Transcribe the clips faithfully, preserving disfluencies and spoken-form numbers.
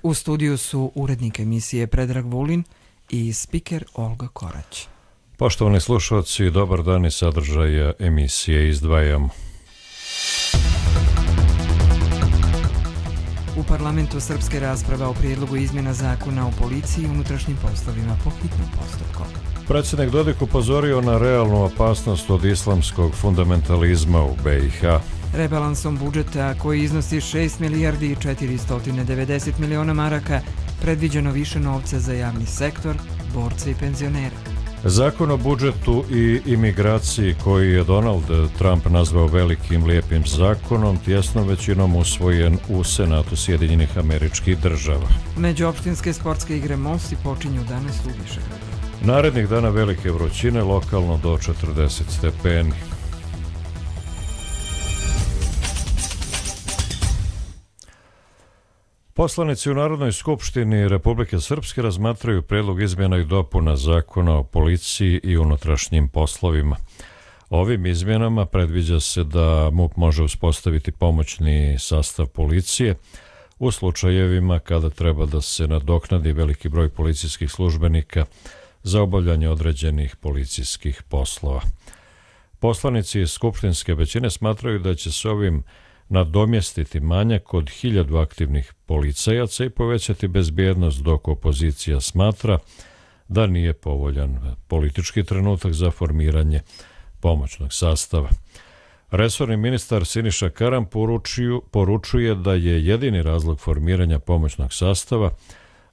U studiju su urednik emisije Predrag Vulin i spiker Olga Korać. Poštovani slušalci, dobar dan i sadržaja emisije izdvajamo. U parlamentu srpske rasprava o prijedlogu izmjena zakona o policiji i unutrašnjim poslovima po hitnom postupku. Predsjednik Dodik upozorio na realnu opasnost od islamskog fundamentalizma u B i H. Rebalansom budžeta, koji iznosi šest milijardi i četiristo devedeset miliona maraka, predviđeno više novca za javni sektor, borce i penzionere. Zakon o budžetu i imigraciji, koji je Donald Trump nazvao velikim lijepim zakonom, tjesnom većinom usvojen u Senatu Sjedinjenih Američkih Država. Međuopštinske sportske igre Mosti počinju danas u Višegradu. Narednih dana velike vrućine, lokalno do četrdeset stepeni. Poslanici u Narodnoj skupštini Republike Srpske razmatraju prijedlog izmjena i dopuna zakona o policiji i unutrašnjim poslovima. Ovim izmjenama predviđa se da MUP može uspostaviti pomoćni sastav policije u slučajevima kada treba da se nadoknadi veliki broj policijskih službenika za obavljanje određenih policijskih poslova. Poslanici iz skupštinske većine smatraju da će se ovim nadomjestiti manjak od hiljadu aktivnih policajaca i povećati bezbjednost, dok opozicija smatra da nije povoljan politički trenutak za formiranje pomoćnog sastava. Resorni ministar Siniša Karan poručuju, poručuje da je jedini razlog formiranja pomoćnog sastava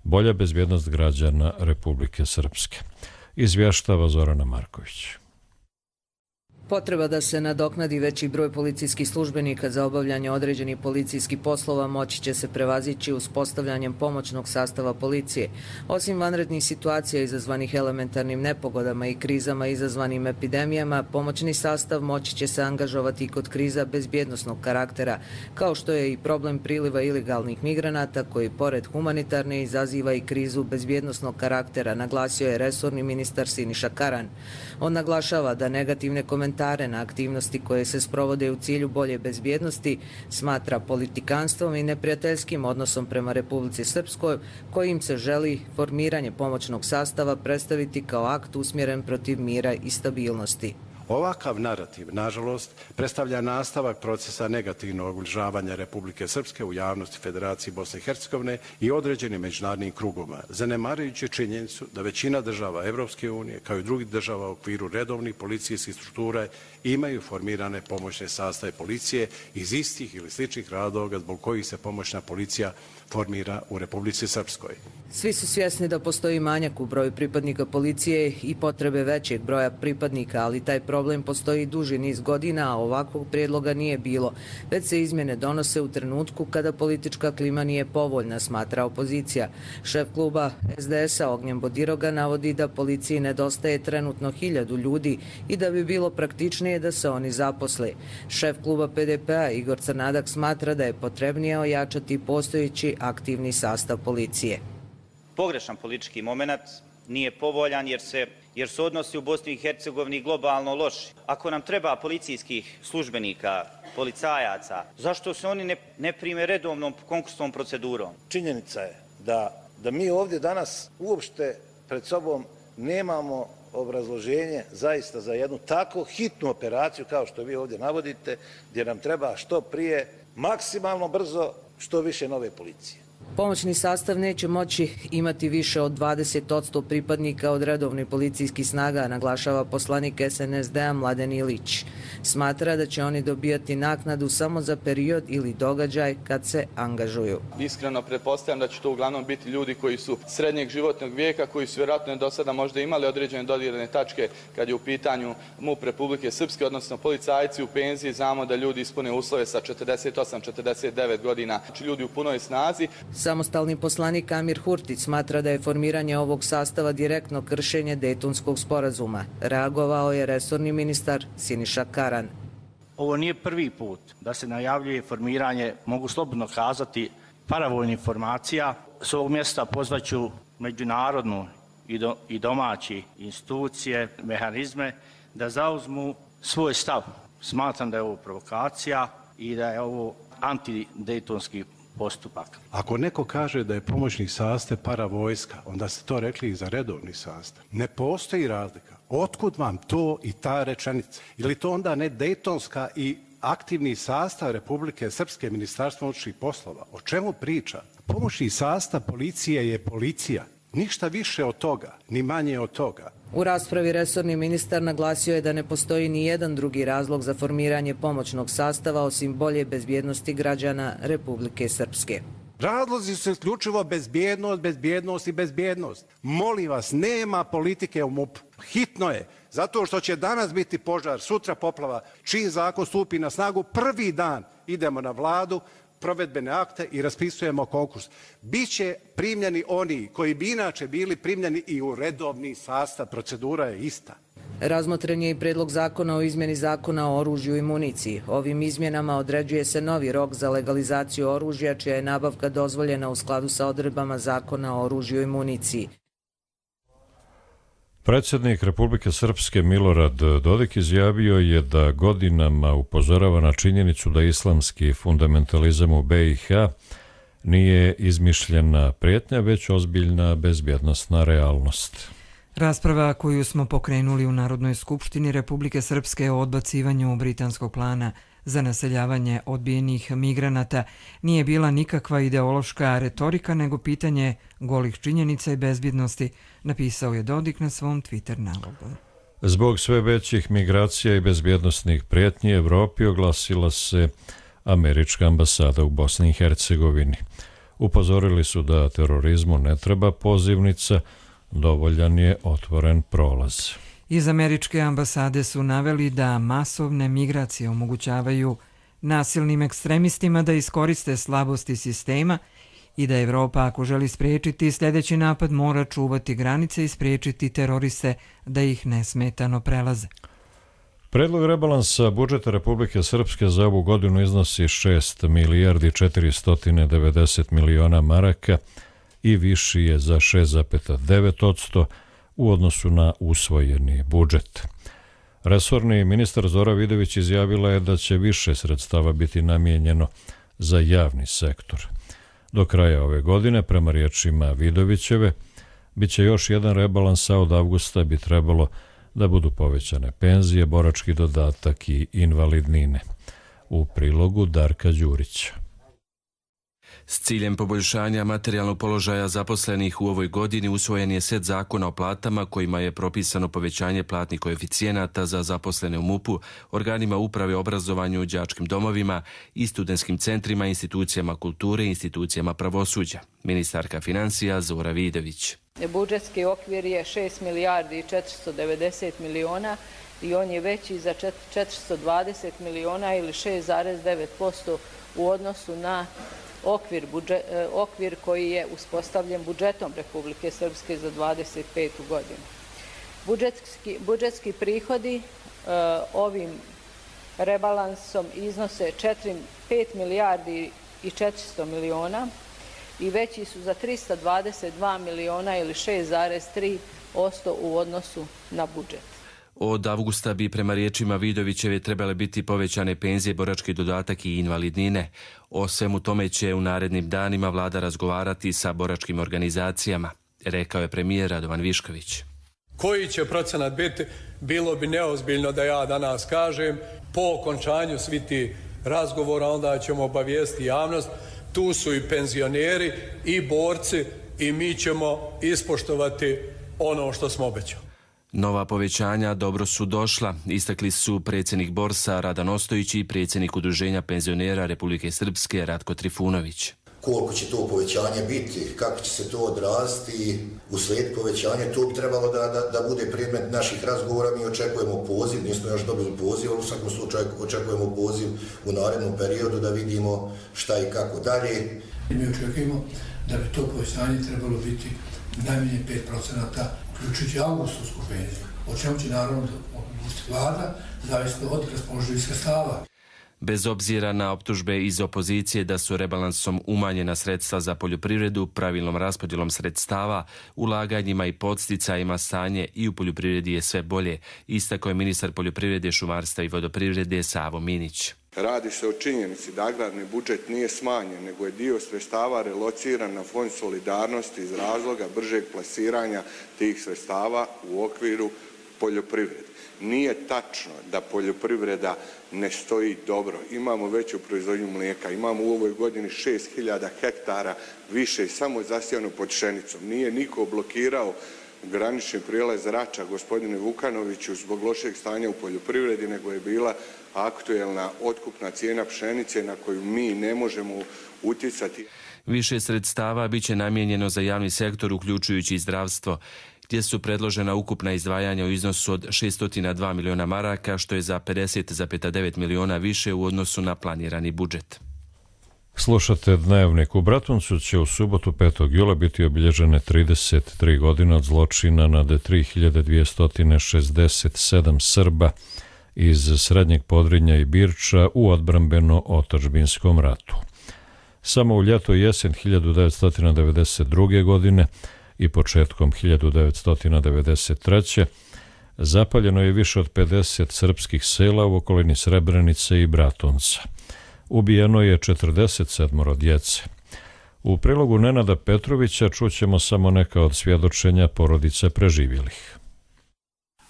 bolja bezbjednost građana Republike Srpske. Izvještava Zorana Marković. Potreba da se nadoknadi veći broj policijskih službenika za obavljanje određenih policijskih poslova moći će se prevazići uspostavljanjem pomoćnog sastava policije. Osim vanrednih situacija izazvanih elementarnim nepogodama i krizama izazvanim epidemijama, pomoćni sastav moći će se angažovati i kod kriza bezbjednosnog karaktera, kao što je i problem priliva ilegalnih migranata koji pored humanitarne izaziva i krizu bezbjednosnog karaktera, naglasio je resorni ministar Siniša Karan. On naglašava da negativne komentare na aktivnosti koje se sprovode u cilju bolje bezbjednosti smatra politikanstvom i neprijateljskim odnosom prema Republici Srpskoj, kojim se želi formiranje pomoćnog sastava predstaviti kao akt usmjeren protiv mira i stabilnosti. Ovakav narativ, nažalost, predstavlja nastavak procesa negativnog ubližavanja Republike Srpske u javnosti Federacije Bosne i Hercegovine i određenim međunarodnim krugovima, zanemarujući činjenicu da većina država Evropske unije, kao i drugih država u okviru redovnih policijskih struktura, imaju formirane pomoćne sastave policije iz istih ili sličnih razloga zbog kojih se pomoćna policija formira u Republici Srpskoj. Svi su svjesni da postoji manjak u broju pripadnika policije i potrebe većeg broja pripadnika, ali taj problem postoji duži niz godina, a ovakvog prijedloga nije bilo. Već se izmjene donose u trenutku kada politička klima nije povoljna, smatra opozicija. Šef kluba S D S-a Ognjen Bodiroga navodi da policiji nedostaje trenutno hiljadu ljudi i da bi bilo praktičnije da se oni zaposle. Šef kluba P D P-a Igor Crnadak smatra da je potrebnije ojačati postojeći aktivni sastav policije. Pogrešan politički moment, nije povoljan jer se jer su odnosi u Bosni i Hercegovini globalno loši. Ako nam treba policijskih službenika, policajaca, zašto se oni ne, ne prime redovnom konkursnom procedurom? Činjenica je da, da mi ovdje danas uopšte pred sobom nemamo obrazloženje zaista za jednu tako hitnu operaciju kao što vi ovdje navodite, gdje nam treba što prije, maksimalno brzo, što više nove policije. Pomoćni sastav neće moći imati više od dvadeset posto pripadnika od redovnih policijskih snaga, naglašava poslanik S N S D-a Mladen Ilić. Smatra da će oni dobijati naknadu samo za period ili događaj kad se angažuju. Iskreno pretpostavljam da će to uglavnom biti ljudi koji su srednjeg životnog vijeka, koji su vjerojatno do sada možda imali određene dodirne tačke kad je u pitanju MUP Republike Srpske, odnosno policajci u penziji. Znamo da ljudi ispune uslove sa četrdeset osam četrdeset devet godina, znači ljudi u punoj snazi. Samostalni poslanik Amir Hurtić smatra da je formiranje ovog sastava direktno kršenje Dejtonskog sporazuma. Reagovao je resorni ministar Siniša Karan. Ovo nije prvi put da se najavljuje formiranje, mogu slobodno kazati, paravojnih formacija. S ovog mjesta pozvaću međunarodnu i, do, i domaći institucije, mehanizme da zauzmu svoj stav. Smatram da je ovo provokacija i da je ovo antidejtonski postupak. Ako neko kaže da je pomoćni sastav paravojska, onda ste to rekli i za redovni sastav. Ne postoji razlika. Otkud vam to i ta rečenica? Ili to onda ne dejtonska i aktivni sastav Republike Srpske, Ministarstva unutrašnjih poslova? O čemu priča? Pomoćni sastav policije je policija. Ništa više od toga, ni manje od toga. U raspravi resorni ministar naglasio je da ne postoji ni jedan drugi razlog za formiranje pomoćnog sastava osim bolje bezbjednosti građana Republike Srpske. Razlozi su isključivo bezbjednost, bezbjednost i bezbjednost. Molim vas, nema politike u MUP-u. Hitno je, zato što će danas biti požar, sutra poplava. Čim zakon stupi na snagu, prvi dan idemo na vladu, provedbene akte i raspisujemo konkurs. Biće primljeni oni koji bi inače bili primljeni i u redovni sastav. Procedura je ista. Razmotren je i predlog zakona o izmjeni zakona o oružju i municiji. Ovim izmjenama određuje se novi rok za legalizaciju oružja, čija je nabavka dozvoljena u skladu sa odredbama zakona o oružju i municiji. Predsjednik Republike Srpske Milorad Dodik izjavio je da godinama upozorava na činjenicu da islamski fundamentalizam u B i H nije izmišljena prijetnja, već ozbiljna bezbjednosna realnost. Rasprava koju smo pokrenuli u Narodnoj skupštini Republike Srpske o odbacivanju britanskog plana za naseljavanje odbijenih migranata nije bila nikakva ideološka retorika, nego pitanje golih činjenica i bezbjednosti, napisao je Dodik na svom Twitter nalogu. Zbog sve većih migracija i bezbjednostnih prijetnji Evropi oglasila se američka ambasada u Bosni i Hercegovini. Upozorili su da terorizmu ne treba pozivnica, dovoljan je otvoren prolaz. Iz američke ambasade su naveli da masovne migracije omogućavaju nasilnim ekstremistima da iskoriste slabosti sistema i da Evropa, ako želi spriječiti sljedeći napad, mora čuvati granice i spriječiti teroriste da ih nesmetano prelaze. Predlog rebalansa budžeta Republike Srpske za ovu godinu iznosi šest milijardi četiristo devedeset miliona maraka i viši je za šest zarez devet posto u odnosu na usvojeni budžet. Resorni ministar Zora Vidović izjavila je da će više sredstava biti namijenjeno za javni sektor. Do kraja ove godine, prema riječima Vidovićeve, bit će još jedan rebalans, a od avgusta bi trebalo da budu povećane penzije, borački dodatak i invalidnine. U prilogu Darka Đurića. S ciljem poboljšanja materijalnog položaja zaposlenih u ovoj godini usvojen je set zakona o platama kojima je propisano povećanje platnih koeficijenata za zaposlene u MUP-u, organima uprave, obrazovanju, đačkim domovima i studentskim centrima, institucijama kulture i institucijama pravosuđa. Ministarka financija Zora Vidović. Budžetski okvir je šest milijardi četiristo devedeset miliona i on je veći za četiristo dvadeset miliona ili šest zarez devet posto u odnosu na Okvir, budžet, okvir koji je uspostavljen budžetom Republike Srpske za dvadeset petu godinu. Budžetski, budžetski prihodi uh, ovim rebalansom iznose pet milijardi i četiristo miliona i veći su za tristo dvadeset dva miliona ili šest zarez tri posto u odnosu na budžet. Od avgusta bi prema riječima Vidovićeve trebale biti povećane penzije, borački dodatak i invalidnine. O svemu tome će u narednim danima vlada razgovarati sa boračkim organizacijama, rekao je premijer Radovan Višković. Koji će procenat biti, bilo bi neozbiljno da ja danas kažem. Po okončanju svih ti razgovora onda ćemo obavijesti javnost. Tu su i penzioneri i borci i mi ćemo ispoštovati ono što smo obećali. Nova povećanja dobro su došla, istakli su predsjednik Borsa Radan Ostojić i predsjednik Udruženja penzionera Republike Srpske Ratko Trifunović. Koliko će to povećanje biti, kako će se to odraziti u slijed povećanja, to bi trebalo da, da, da bude predmet naših razgovora. Mi očekujemo poziv, nismo još dobili poziv, ali u svakom slučaju očekujemo poziv u narednom periodu da vidimo šta i kako dalje. Mi očekujemo da bi to povećanje trebalo biti najmanje pet procenata, uključujući augustovsku penziju, o čemu će naravno odlučiti vlada, zavisno od raspoloživih sredstava. Bez obzira na optužbe iz opozicije da su rebalansom umanjena sredstva za poljoprivredu, pravilnom raspodjelom sredstava, ulaganjima i podsticajima, stanje i u poljoprivredi je sve bolje, istakao je ministar poljoprivrede, šumarstva i vodoprivrede Savo Minić. Radi se o činjenici da agrarni budžet nije smanjen, nego je dio sredstava relociran na Fond solidarnosti iz razloga bržeg plasiranja tih sredstava u okviru poljoprivrede. Nije tačno da poljoprivreda ne stoji dobro. Imamo veću proizvodnju mlijeka, imamo u ovoj godini šest hiljada hektara više samo zasijano pod pšenicom. Nije niko blokirao granični prijelaz Rača, gospodine Vukanoviću, zbog lošeg stanja u poljoprivredi, nego je bila aktuelna otkupna cijena pšenice na koju mi ne možemo utjecati. Više sredstava biće namijenjeno za javni sektor, uključujući i zdravstvo, gdje su predložena ukupna izdvajanja u iznosu od šesto dva miliona maraka, što je za pedeset zarez devet miliona više u odnosu na planirani budžet. Slušate Dnevnik. U Bratuncu će u subotu petog jula biti obilježene trideset tri godine od zločina nad tri hiljade dvjesto šezdeset sedam Srba iz Srednjeg Podrinja i Birča u odbrambeno-otadžbinskom ratu. Samo u ljeto i jesen hiljadu devetsto devedeset druge. godine i početkom hiljadu devetsto devedeset treće. zapaljeno je više od pedeset srpskih sela u okolini Srebrenice i Bratunca. Ubijeno je četrdeset sedam djece. U prilogu Nenada Petrovića čućemo samo neka od svjedočenja porodice preživjelih.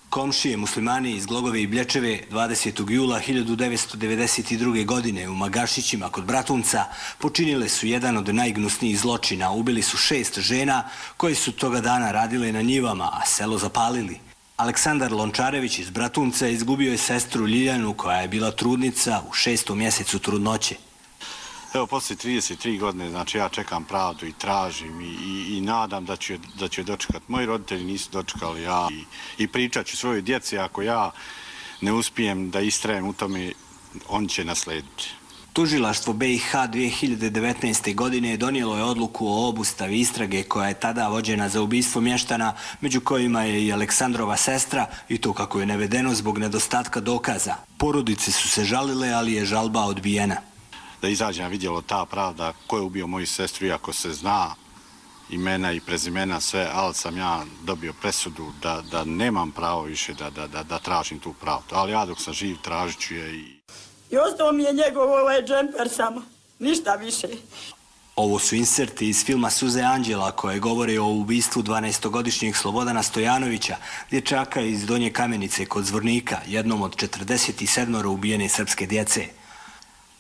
Komšije muslimani iz Glogove i Blječeve dvadesetog jula hiljadu devetsto devedeset druge. godine u Magašićima kod Bratunca počinile su jedan od najgnusnijih zločina. Ubili su šest žena koje su toga dana radile na njivama, a selo zapalili. Aleksandar Lončarević iz Bratunca izgubio je sestru Ljiljanu koja je bila trudnica u šestom mjesecu trudnoće. Evo, poslije trideset tri godine, znači ja čekam pravdu i tražim i, i, i nadam da ću, da ću je dočekati. Moji roditelji nisu dočekali, ja i, i pričat ću svojoj djeci, ako ja ne uspijem da istrajem u tome, on će naslediti. Tužilaštvo B i H dvije hiljade devetnaeste. godine donijelo je odluku o obustavi istrage koja je tada vođena za ubistvo mještana, među kojima je i Aleksandrova sestra, i to kako je navedeno zbog nedostatka dokaza. Porodice su se žalile, ali je žalba odbijena. Da izađe na vidjelo ta pravda ko je ubio moju sestru, iako se zna imena i prezimena sve, ali sam ja dobio presudu da, da nemam pravo više da, da, da, da tražim tu pravdu. Ali ja dok sam živ tražit ću je i... I ostao mi je njegov ovaj džemper samo, ništa više. Ovo su inserti iz filma Suze Anđela koje govore o ubistvu dvanaestogodišnjeg Slobodana Stojanovića, dječaka iz Donje Kamenice kod Zvornika, jednom od četrdeset sedam ubijene srpske djece.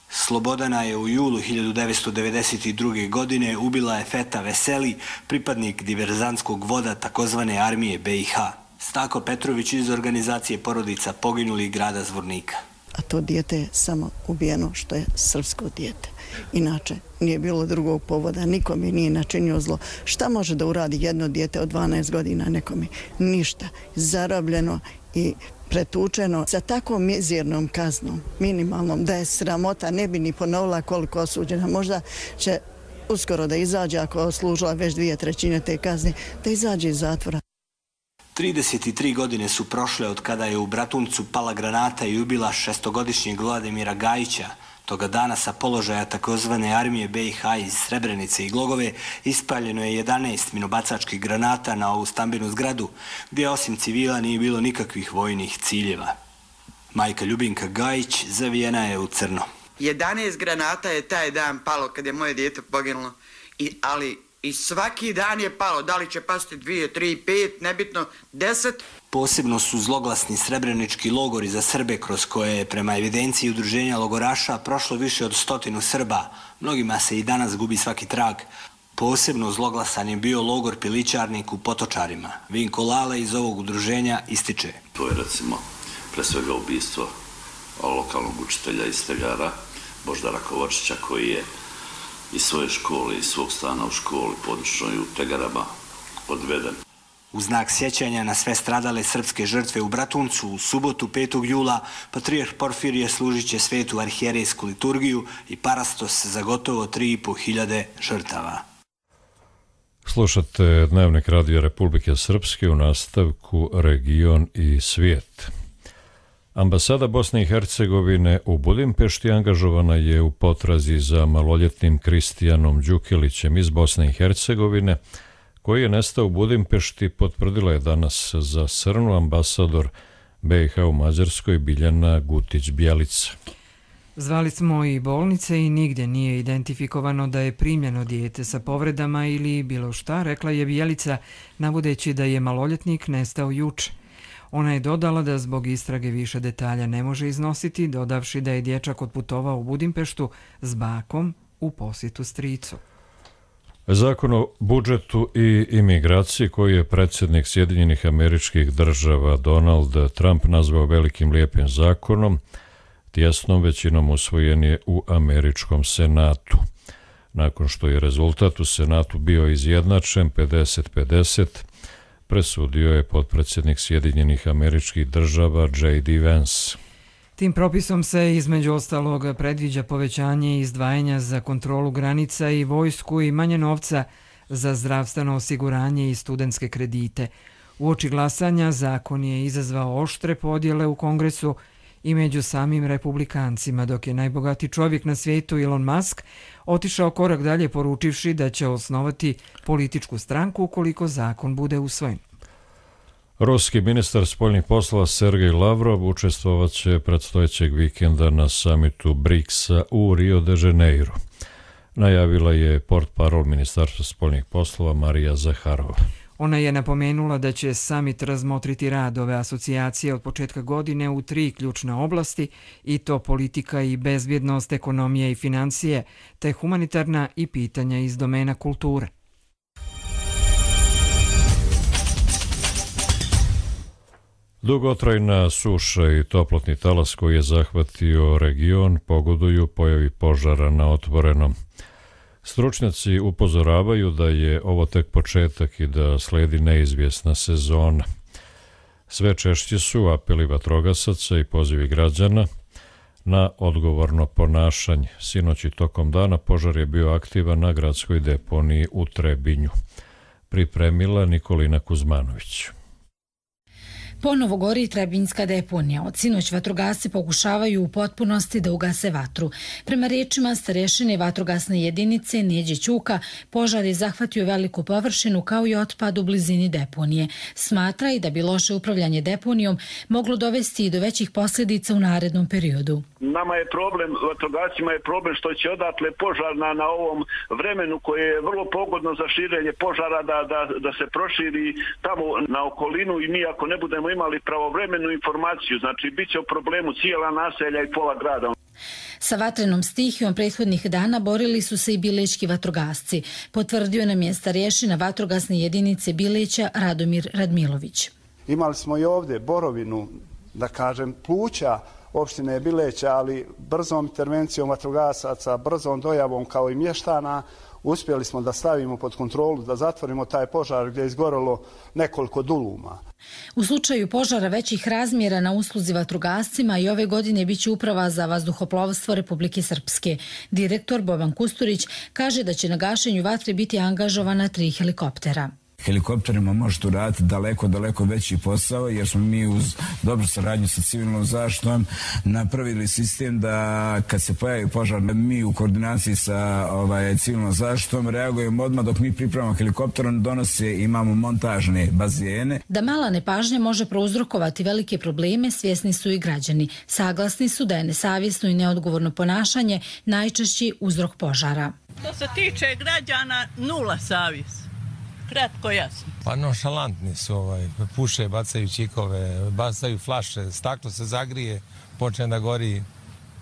Slobodana je u julu hiljadu devetsto devedeset druge. godine ubila je Feta Veseli, pripadnik diverzantskog voda takozvane armije B i H. Stako Petrović iz organizacije porodica poginulih grada Zvornika. A to dijete je samo ubijeno što je srpsko dijete. Inače, nije bilo drugog povoda, nikome nije načinio zlo. Šta može da uradi jedno dijete od dvanaest godina nekome? Ništa. Zarobljeno i pretučeno sa takvom mizernom kaznom, minimalnom, da je sramota, ne bi ni ponovila koliko osuđena. Možda će uskoro da izađe, ako je služila već dvije trećine te kazne, da izađe iz zatvora. trideset tri godine su prošle od kada je u Bratuncu pala granata i ubila šestogodišnjeg Vladimira Gajića. Toga dana sa položaja takozvane armije B i H iz Srebrenice i Glogove ispaljeno je jedanaest minobacačkih granata na ovu stambenu zgradu, gdje osim civila nije bilo nikakvih vojnih ciljeva. Majka Ljubinka Gajić zavijena je u crno. jedanaest granata je taj dan palo kad je moje dijete poginulo, I, ali i svaki dan je palo, da li će pasti dvije, tri, pet, nebitno, deset. Posebno su zloglasni srebrenički logori za Srbe kroz koje je prema evidenciji udruženja logoraša prošlo više od stotinu Srba. Mnogima se i danas gubi svaki trag. Posebno zloglasan je bio logor Pilićarnik u Potočarima. Vinko Lale iz ovog udruženja ističe. To je recimo pre svega ubistvo lokalnog učitelja iz Tegara, Boždara Kovačića, koji je iz svoje škole, iz svog stana u školi područnoj u Tegarama odveden. U znak sjećanja na sve stradale srpske žrtve u Bratuncu u subotu petog jula patrijarh Porfirije služit će svetu arhijerejsku liturgiju i parastos za gotovo tri i po hiljade žrtava. Slušate Dnevnik Radija Republike Srpske, u nastavku Region i svijet. Ambasada Bosne i Hercegovine u Budimpešti angažovana je u potrazi za maloljetnim Kristijanom Đukilićem iz Bosne i Hercegovine, koji je nestao u Budimpešti, potvrdila je danas za Srnu ambasador B i H u Mađarskoj Biljana Gutić-Bjelica. Zvali smo i bolnice i nigdje nije identifikovano da je primljeno dijete sa povredama ili bilo šta, rekla je Bjelica, navodeći da je maloljetnik nestao juče. Ona je dodala da zbog istrage više detalja ne može iznositi, dodavši da je dječak otputovao u Budimpeštu s bakom u posjetu stricu. Zakon o budžetu i imigraciji koji je predsjednik Sjedinjenih Američkih Država Donald Trump nazvao velikim lijepim zakonom, tjesnom većinom usvojen je u Američkom senatu. Nakon što je rezultat u senatu bio izjednačen pedeset pedeset, presudio je potpredsjednik Sjedinjenih Američkih Država J D Vance. Tim propisom se između ostalog predviđa povećanje izdvajanja za kontrolu granica i vojsku i manje novca za zdravstveno osiguranje i studentske kredite. Uoči glasanja zakon je izazvao oštre podjele u Kongresu i među samim republikancima, dok je najbogatiji čovjek na svijetu Elon Musk otišao korak dalje poručivši da će osnovati političku stranku ukoliko zakon bude usvojen. Ruski ministar spoljnih poslova Sergej Lavrov učestvovaće predstojećeg vikenda na samitu briksa u Rio de Janeiro. Najavila je portparol Ministarstva spoljnih poslova Marija Zaharova. Ona je napomenula da će samit razmotriti rad ove asocijacije od početka godine u tri ključne oblasti, i to politika i bezbjednost, ekonomija i financije, te humanitarna i pitanja iz domena kulture. Dugotrajna suša i toplotni talas koji je zahvatio region pogoduju pojavi požara na otvorenom. Stručnjaci upozoravaju da je ovo tek početak i da sledi neizvjesna sezona. Sve češći su apeli vatrogasaca i pozivi građana na odgovorno ponašanje. Sinoć i tokom dana požar je bio aktivan na gradskoj deponiji u Trebinju. Pripremila Nikolina Kuzmanović. Ponovo gori Trebinjska deponija. Od sinoć vatrogasci pokušavaju u potpunosti da ugase vatru. Prema riječima starešine vatrogasne jedinice Neđe Ćuka, požar je zahvatio veliku površinu kao i otpad u blizini deponije. Smatra i da bi loše upravljanje deponijom moglo dovesti i do većih posljedica u narednom periodu. Nama je problem, vatrogascima je problem što će odatle požar na, na ovom vremenu koje je vrlo pogodno za širenje požara da, da, da se proširi tamo na okolinu, i mi ako ne budemo imali pravovremenu informaciju, znači bit će u problemu cijela naselja i pola grada. Sa vatrenom stihijom prethodnih dana borili su se i bilečki vatrogasci, potvrdio nam je starješina vatrogasne jedinice Bileća Radomir Radmilović. Imali smo i ovdje borovinu, da kažem, pluća opštine Bileća, ali brzom intervencijom vatrogasaca, brzom dojavom kao i mještana, uspjeli smo da stavimo pod kontrolu, da zatvorimo taj požar gdje je izgorelo nekoliko duluma. U slučaju požara većih razmjera na usluzi vatrogascima i ove godine biće Uprava za vazduhoplovstvo Republike Srpske. Direktor Boban Kusturić kaže da će na gašenju vatre biti angažovana tri helikoptera. Helikopterima možete uraditi daleko, daleko veći posao, jer smo mi uz dobru saradnju sa civilnom zaštitom napravili sistem da kad se pojavi požar, mi u koordinaciji sa ovaj, civilnom zaštitom reagujemo odmah dok mi pripremamo helikopterom, donose, imamo montažne bazene. Da mala nepažnja može prouzrokovati velike probleme, svjesni su i građani. Saglasni su da je nesavjesno i neodgovorno ponašanje najčešći uzrok požara. Što se tiče građana, nula savjest. Kratko jasno. Pa nonšalantni su, ovaj, puše, bacaju čikove, bacaju flaše, staklo se zagrije, počne da gori,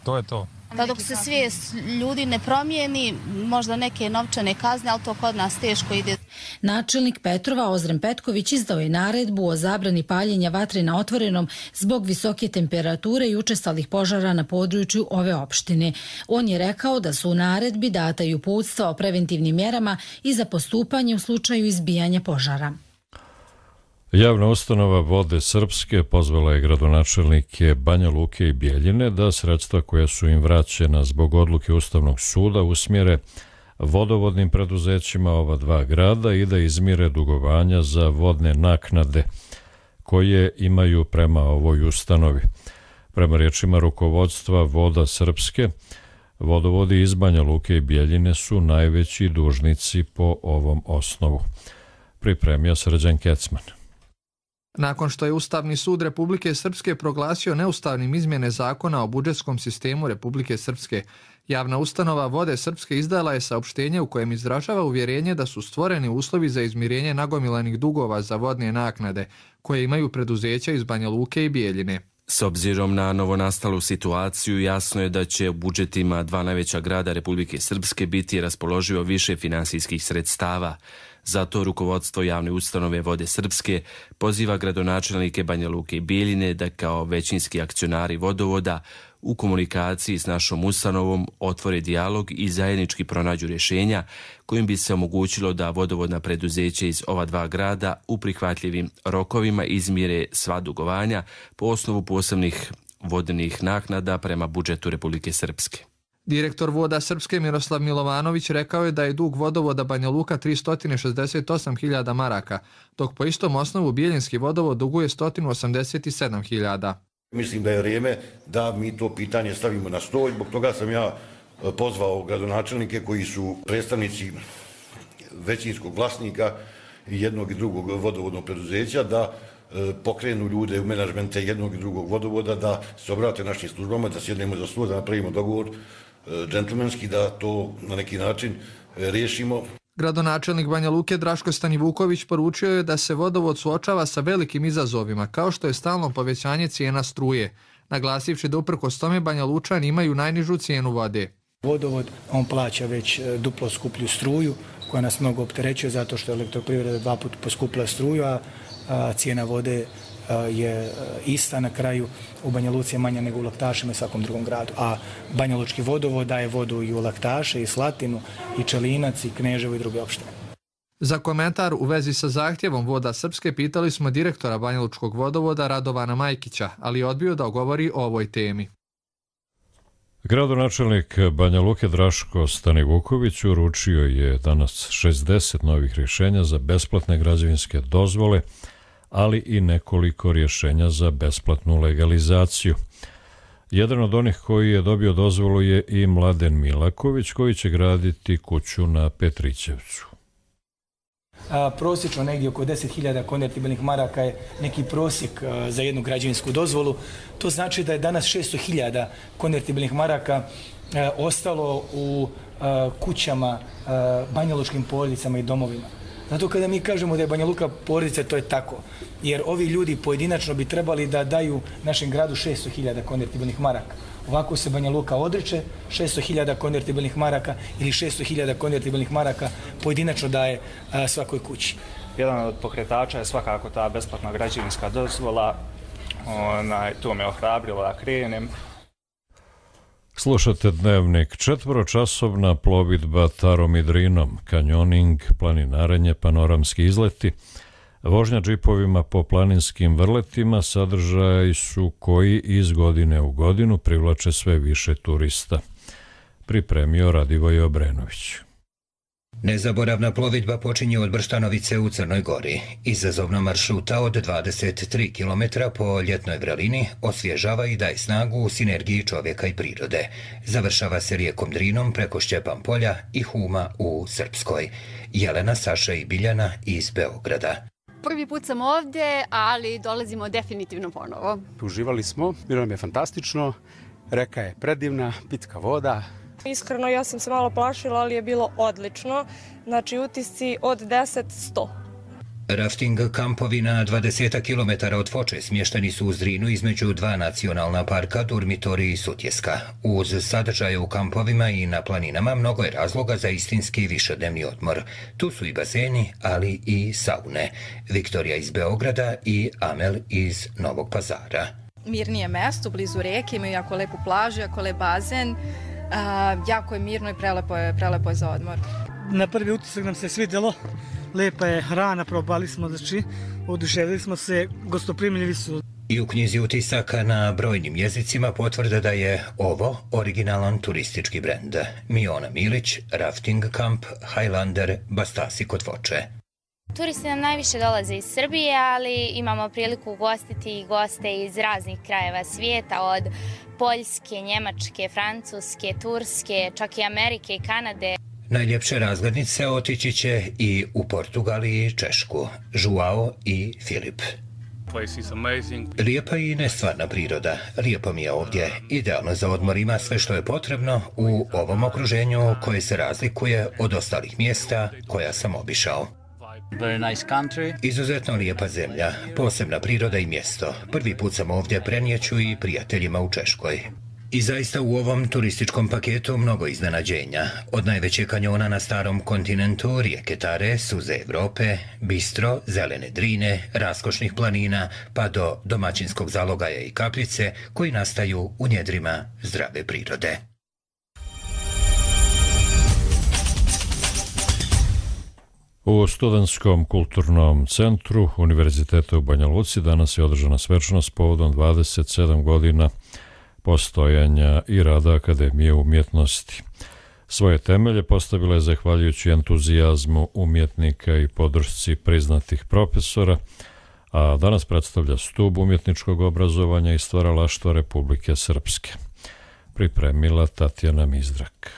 to je to. Da dok se svijest ljudi ne promijeni, možda neke novčane kazne, ali to kod nas teško ide. Načelnik Petrova Ozren Petković izdao je naredbu o zabrani paljenja vatre na otvorenom zbog visoke temperature i učestalih požara na području ove opštine. On je rekao da su u naredbi data i uputstva o preventivnim mjerama i za postupanje u slučaju izbijanja požara. Javna ustanova Vode Srpske pozvala je gradonačelnike Banja Luke i Bjeljine da sredstva koja su im vraćena zbog odluke Ustavnog suda usmjere vodovodnim preduzećima ova dva grada i da izmire dugovanja za vodne naknade koje imaju prema ovoj ustanovi. Prema riječima rukovodstva Voda Srpske, vodovodi iz Banja Luke i Bjeljine su najveći dužnici po ovom osnovu. Pripremio Srđan Kecman. Nakon što je Ustavni sud Republike Srpske proglasio neustavnim izmjene zakona o budžetskom sistemu Republike Srpske, javna ustanova Vode Srpske izdala je saopštenje u kojem izražava uvjerenje da su stvoreni uslovi za izmirenje nagomilanih dugova za vodne naknade koje imaju preduzeća iz Banja Luke i Bijeljine. S obzirom na novonastalu situaciju, jasno je da će u budžetima dva najveća grada Republike Srpske biti raspoloživo više finansijskih sredstava. Zato rukovodstvo javne ustanove Vode Srpske poziva gradonačelnike Banja Luke i Bijeljine da kao većinski akcionari vodovoda u komunikaciji s našom ustanovom otvore dijalog i zajednički pronađu rješenja kojim bi se omogućilo da vodovodna preduzeća iz ova dva grada u prihvatljivim rokovima izmire sva dugovanja po osnovu posebnih vodnih naknada prema budžetu Republike Srpske. Direktor Voda Srpske Miroslav Milovanović rekao je da je dug vodovoda Banja Luka tristo šezdeset osam hiljada maraka, dok po istom osnovu Bijeljinski vodovod duguje sto osamdeset sedam hiljada. Mislim da je vrijeme da mi to pitanje stavimo na stol. Zbog toga sam ja pozvao gradonačelnike koji su predstavnici većinskog vlasnika jednog i drugog vodovodnog preduzeća da pokrenu ljude u menadžmente jednog i drugog vodovoda, da se obrate našim službama, da sjednemo za stol, da napravimo dogovor džentlmenski, da to na neki način riješimo. Gradonačelnik Banja Luke Draško Stanivuković poručio je da se vodovod suočava sa velikim izazovima, kao što je stalno povećanje cijena struje, naglasivši da uprkos tome Banja Lučani imaju najnižu cijenu vode. Vodovod, on plaća već duplo skuplju struju, koja nas mnogo opterećuje zato što je elektroprivreda dva puta poskupila struju, a cijena vode je ista na kraju. U Banja Luci je manja nego u Laktašima i svakom drugom gradu. A Banja Lučki vodovod daje vodu i u Laktaše, i Slatinu, i Čelinac, i Kneževo i druge opštine. Za komentar u vezi sa zahtjevom Voda Srpske pitali smo direktora Banja Lučkog vodovoda Radovana Majkića, ali je odbio da govori o ovoj temi. Gradonačelnik Banja Luke Draško Stanivuković uručio je danas šezdeset novih rješenja za besplatne građevinske dozvole, ali i nekoliko rješenja za besplatnu legalizaciju. Jedan od onih koji je dobio dozvolu je i Mladen Milaković, koji će graditi kuću na Petrićevcu. A, prosječno negdje oko deset hiljada konvertibilnih maraka je neki prosjek a, za jednu građevinsku dozvolu. To znači da je danas šesto hiljada konvertibilnih maraka a, ostalo u a, kućama, a, banjalučkim porodicama i domovima. Zato kada mi kažemo da je Banja Luka porodica, to je tako. Jer ovi ljudi pojedinačno bi trebali da daju našem gradu šesto hiljada konvertibilnih maraka. Ovako se Banja Luka odriče šesto hiljada konvertibilnih maraka ili šesto hiljada konvertibilnih maraka pojedinačno daje a, svakoj kući. Jedan od pokretača je svakako ta besplatna građevinska dozvola. Onaj, to me ohrabrilo da krenem. Slušate Dnevnik. Četvoročasovna plovidba Tarom i Drinom, kanjoning, planinarenje, panoramski izleti, vožnja džipovima po planinskim vrletima sadržaji su koji iz godine u godinu privlače sve više turista. Pripremio Radivoj Obrenović. Nezaboravna plovidba počinje od Brštanovice u Crnoj Gori. Izazovna maršruta od dvadeset tri kilometra po ljetnoj vrelini osvježava i daje snagu u sinergiji čovjeka i prirode. Završava se rijekom Drinom preko Šćepan polja i Huma u Srpskoj. Jelena, Saša i Biljana iz Beograda. Prvi put sam ovdje, ali dolazimo definitivno ponovo. Uživali smo, bilo nam je fantastično, reka je predivna, pitka voda. Iskreno, ja sam se malo plašila, ali je bilo odlično. Znači, utisci od deset do sto. Rafting kampovi na dvadeset kilometara od Foče smješteni su u Zrinu između dva nacionalna parka, Durmitori i Sutjeska. Uz sadržaje u kampovima i na planinama mnogo je razloga za istinski višednevni odmor. Tu su i bazeni, ali i saune. Viktorija iz Beograda i Amel iz Novog Pazara. Mirnije mesto, blizu reke, imaju jako lepu plažu, jako lep bazen. A, jako je mirno i prelepo je, prelepo je za odmor. Na prvi utisak nam se svidjelo, lepa je hrana, probali smo, znači, oduševili smo se, gostoprimljivi su. I u knjizi utisaka na brojnim jezicima potvrda da je ovo originalan turistički brend. Miona Milić, Rafting Camp, Highlander, Bastasi kod Foče. Turisti nam najviše dolaze iz Srbije, ali imamo priliku ugostiti i goste iz raznih krajeva svijeta, od Poljske, Njemačke, Francuske, Turske, čak i Amerike i Kanade. Najljepše razglednice otići će i u Portugal i Češku, Joao i Filip. Lijepa i nestvarna priroda. Lijepo mi je ovdje. Idealno za odmor, ima sve što je potrebno u ovom okruženju koje se razlikuje od ostalih mjesta koja sam obišao. Izuzetno lijepa zemlja, posebna priroda i mjesto. Prvi put sam ovdje, prenijeću i prijateljima u Češkoj. I zaista u ovom turističkom paketu mnogo iznenađenja. Od najvećeg kanjona na starom kontinentu, rijeke Tare, suze Evrope, bistro, zelene drine, raskošnih planina, pa do domaćinskog zalogaja i kapljice koji nastaju u njedrima zdrave prirode. U Studentskom kulturnom centru Univerziteta u Banja Luci danas je održana svečanost povodom dvadeset sedam godina postojanja i rada Akademije umjetnosti. Svoje temelje postavila je zahvaljujući entuzijazmu umjetnika i podršci priznatih profesora, a danas predstavlja stub umjetničkog obrazovanja i stvaralaštva Republike Srpske. Pripremila Tatjana Mizdrak.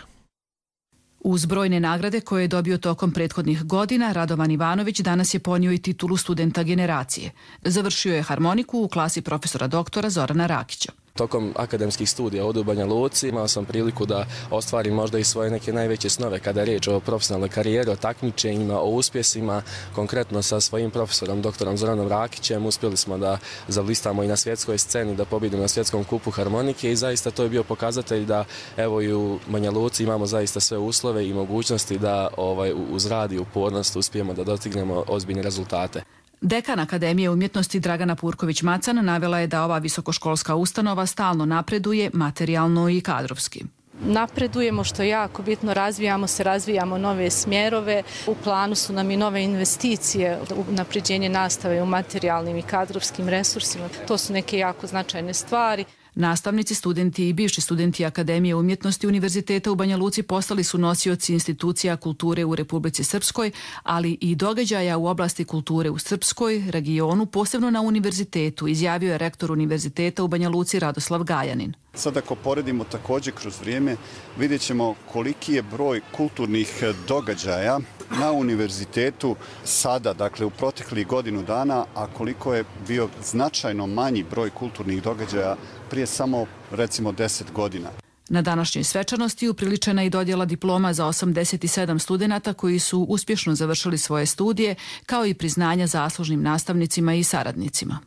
Uz brojne nagrade koje je dobio tokom prethodnih godina, Radovan Ivanović danas je ponio i titulu studenta generacije. Završio je harmoniku u klasi profesora doktora Zorana Rakića. Tokom akademskih studija ovdje u Banja Luci imao sam priliku da ostvarim možda i svoje neke najveće snove kada je riječ o profesionalnoj karijeri, o takmičenjima, o uspjesima. Konkretno sa svojim profesorom doktorom Zoranom Rakićem uspjeli smo da zablistamo i na svjetskoj sceni, da pobjedimo na svjetskom kupu harmonike i zaista to je bio pokazatelj da evo i u Banja Luci imamo zaista sve uslove i mogućnosti da ovaj, uz rad i upornost uspijemo da dostignemo ozbiljne rezultate. Dekan Akademije umjetnosti Dragana Purković-Macan navela je da ova visokoškolska ustanova stalno napreduje materijalno i kadrovski. Napredujemo, što je jako bitno, razvijamo se, razvijamo nove smjerove. U planu su nam i nove investicije, unapređenje nastave u materijalnim i kadrovskim resursima. To su neke jako značajne stvari. Nastavnici, studenti i bivši studenti Akademije umjetnosti Univerziteta u Banja Luci postali su nosioci institucija kulture u Republici Srpskoj, ali i događaja u oblasti kulture u Srpskoj, regionu, posebno na univerzitetu, izjavio je rektor Univerziteta u Banja Luci Radoslav Gajanin. Sad ako poredimo također kroz vrijeme, vidjet ćemo koliki je broj kulturnih događaja na univerzitetu sada, dakle u proteklih godinu dana, a koliko je bio značajno manji broj kulturnih događaja prije samo recimo deset godina. Na današnjoj svečanosti upriličena i dodjela diploma za osamdeset sedam studenata koji su uspješno završili svoje studije, kao i priznanja zaslužnim nastavnicima i saradnicima.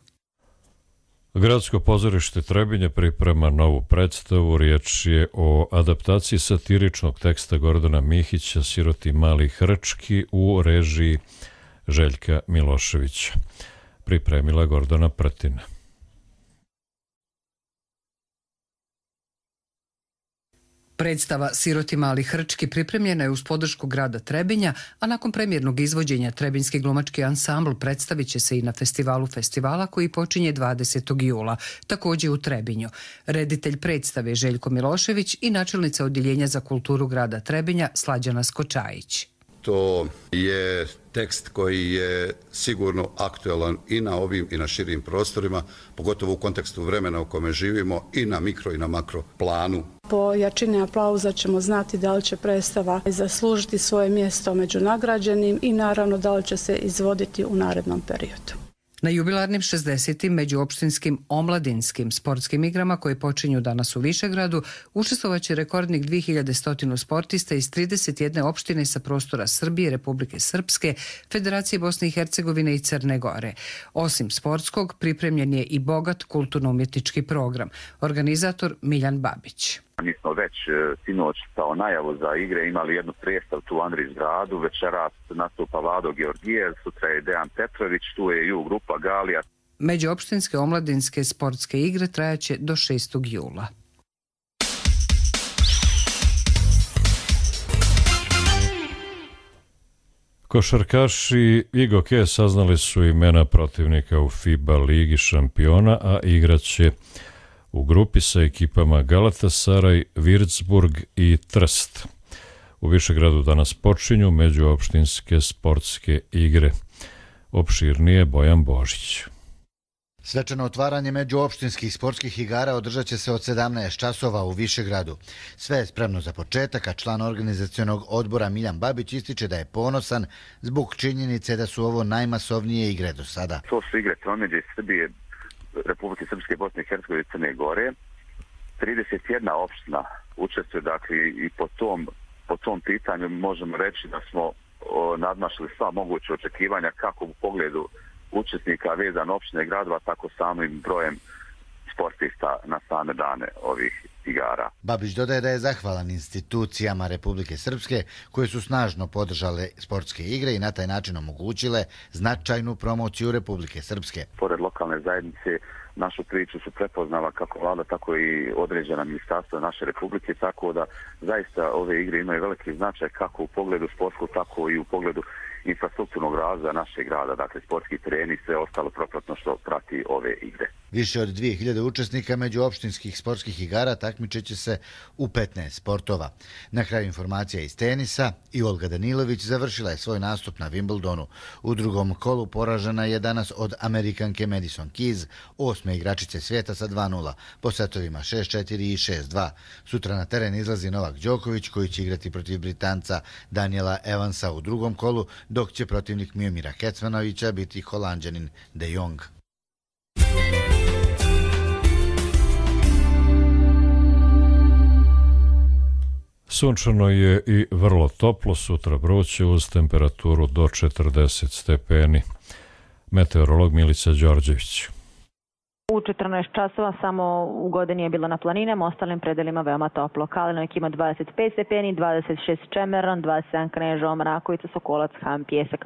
Gradsko pozorište Trebinje priprema novu predstavu. Riječ je o adaptaciji satiričnog teksta Gordana Mihića Siroti mali hrčki u režiji Željka Miloševića. Pripremila Gordana Prtina. Predstava Siroti mali hrčki pripremljena je uz podršku grada Trebinja, a nakon premijernog izvođenja Trebinjski glumački ansambl predstavit će se i na festivalu festivala koji počinje dvadesetog jula, također u Trebinju. Reditelj predstave Željko Milošević i načelnica Odjeljenja za kulturu grada Trebinja Slađana Skočajić. To je tekst koji je sigurno aktualan i na ovim i na širim prostorima, pogotovo u kontekstu vremena u kome živimo i na mikro i na makro planu. Po jačini aplauza ćemo znati da li će predstava zaslužiti svoje mjesto među nagrađenim i naravno da li će se izvoditi u narednom periodu. Na jubilarnim šezdesetim međuopštinskim omladinskim sportskim igrama koje počinju danas u Višegradu učestvovaće rekordnik dvije hiljade sto sportista iz trideset jedne opštine sa prostora Srbije, Republike Srpske, Federacije Bosne i Hercegovine i Crne Gore. Osim sportskog, pripremljen je i bogat kulturno-umjetnički program. Organizator Miljan Babić. Mi smo već sinoć kao najavu za igre imali jednu predstavu tu u Andrićgradu, večeras nastupa Vlado Georgijev, sutra je Dejan Petrović, tu je i u grupa Galija. Međuopštinske omladinske sportske igre trajaće do šestog jula. Košarkaši Igoke saznali su imena protivnika u FIBA Ligi šampiona, a igraće u grupi sa ekipama Galatasaraj, Würzburg i Trst. U Višegradu danas počinju međuopštinske sportske igre. Opširnije Bojan Božić. Svečano otvaranje međuopštinskih sportskih igara održat će se od sedamnaest časova u Višegradu. Sve je spremno za početak, a član organizacionog odbora Miljan Babić ističe da je ponosan zbog činjenice da su ovo najmasovnije igre do sada. To su igre tromeđe iz Srbije, Republike Srpske, Bosne i Hercegovine i Crne Gore. trideset jedna opština učestvuje, dakle, i po tom, po tom pitanju možemo reći da smo o, nadmašili sva moguće očekivanja kako u pogledu učesnika vezan opštine gradova, tako samim brojem sportista na same dane ovih igara. Babić dodaje da je zahvalan institucijama Republike Srpske koje su snažno podržale sportske igre i na taj način omogućile značajnu promociju Republike Srpske. Pored lokalne zajednice, našu priču su prepoznala kako vlada, tako i određena ministarstva naše republike, tako da zaista ove igre imaju veliki značaj kako u pogledu sportskog, tako i u pogledu infrastrukturnog razvoja našeg grada, dakle sportski tereni i sve ostalo propratno što prati ove igre. Više od dvije hiljade učesnika međuopštinskih sportskih igara takmičeće se u petnaest sportova. Na kraju informacija iz tenisa i Olga Danilović završila je svoj nastup na Wimbledonu. U drugom kolu poražena je danas od Amerikanke Madison Keys, osme igračice svijeta sa dva nula, po setovima šest četiri i šest dva. Sutra na teren izlazi Novak Đoković koji će igrati protiv Britanca Daniela Evansa u drugom kolu, dok će protivnik Miomira Kecmanovića biti Holanđanin De Jong. Sunčano je i vrlo toplo, sutra vruće uz temperaturu do četrdeset stepeni. Meteorolog Milica Đorđević. U četrnaest časova samo u Godini je bilo na planinama, ostalim predelima veoma toplo. Kalinovik ima dvadeset pet stepeni, dvadeset šest Čemeran, dvadeset sedam Kneževo, Mrakovica, Sokolac, Han, Pjesak,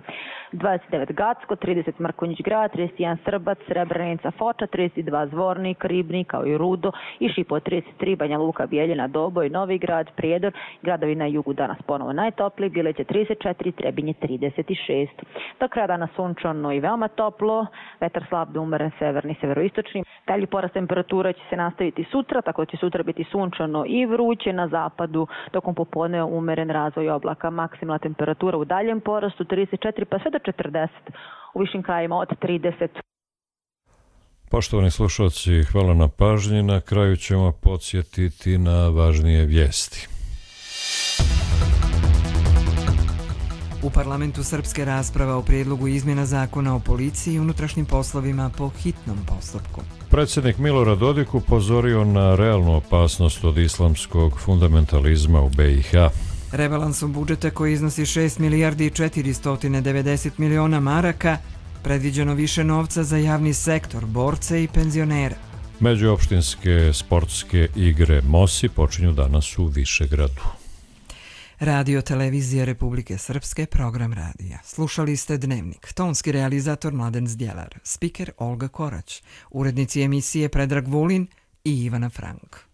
dvadeset devet Gacko, trideset Mrkonjić Grad, trideset jedan Srbac, Srebrenica, Foča, trideset dva Zvornik, Ribnik, kao i Rudo i Šipo, trideset tri Banja Luka, Bijeljina, Doboj, Novi Grad, Prijedor, gradovi na jugu danas ponovo najtopliji, Bileće trideset četiri, Trebinje trideset šest. Do kraja dana sunčano i veoma toplo, vetar slab do umeren severni, severoistočni. Dalji porast temperatura će se nastaviti sutra, tako će sutra biti sunčano i vruće na zapadu, tokom popodne umeren razvoj oblaka. Maksimalna temperatura u daljem porastu trideset četiri pa sve do četrdeset, u višim krajima od trideset. Poštovani slušalci, hvala na pažnji. Na kraju ćemo podsjetiti na važnije vijesti. U parlamentu Srpske rasprava o prijedlogu izmjena zakona o policiji i unutrašnjim poslovima po hitnom postupku. Predsjednik Milorad Dodik upozorio na realnu opasnost od islamskog fundamentalizma u B i H. Rebalansom budžeta koji iznosi šest milijardi i četiristo devedeset miliona maraka predviđeno više novca za javni sektor, borce i penzionere. Međuopštinske sportske igre MOSI počinju danas u Višegradu. Radio Televizija Republike Srpske, program radija. Slušali ste Dnevnik, tonski realizator Mladen Zdjelar, spiker Olga Korać, urednici emisije Predrag Vulin i Ivana Frank.